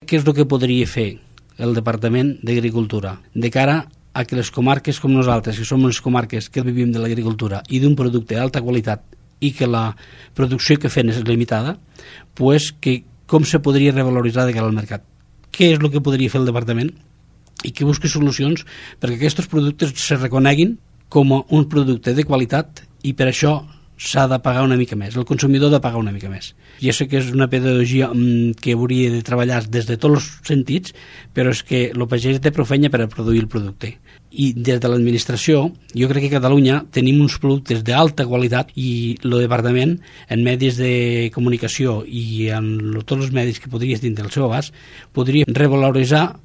Què és el que podria fer el Departament d'Agricultura de cara a que les comarques com nosaltres, que som unes comarques que vivim de l'agricultura i d'un producte d'alta qualitat i que la producció que fem és limitada, pues que com se podria revaloritzar de cara al mercat? Què és el que podria fer el Departament i que busqui solucions perquè aquests productes se reconeguin com un producte de qualitat i per això s'ha de pagar una mica més, el consumidor ha de pagar una mica més. Ja sé que és una pedagogia que hauria de treballar des de tots els sentits, però és que el pagès té prou feina per a produir el producte. I des de l'administració, jo crec que a Catalunya tenim uns productes d'alta qualitat i el departament, en medis de comunicació i en tots els medis que podries dins del seu abast, podria revaloritzar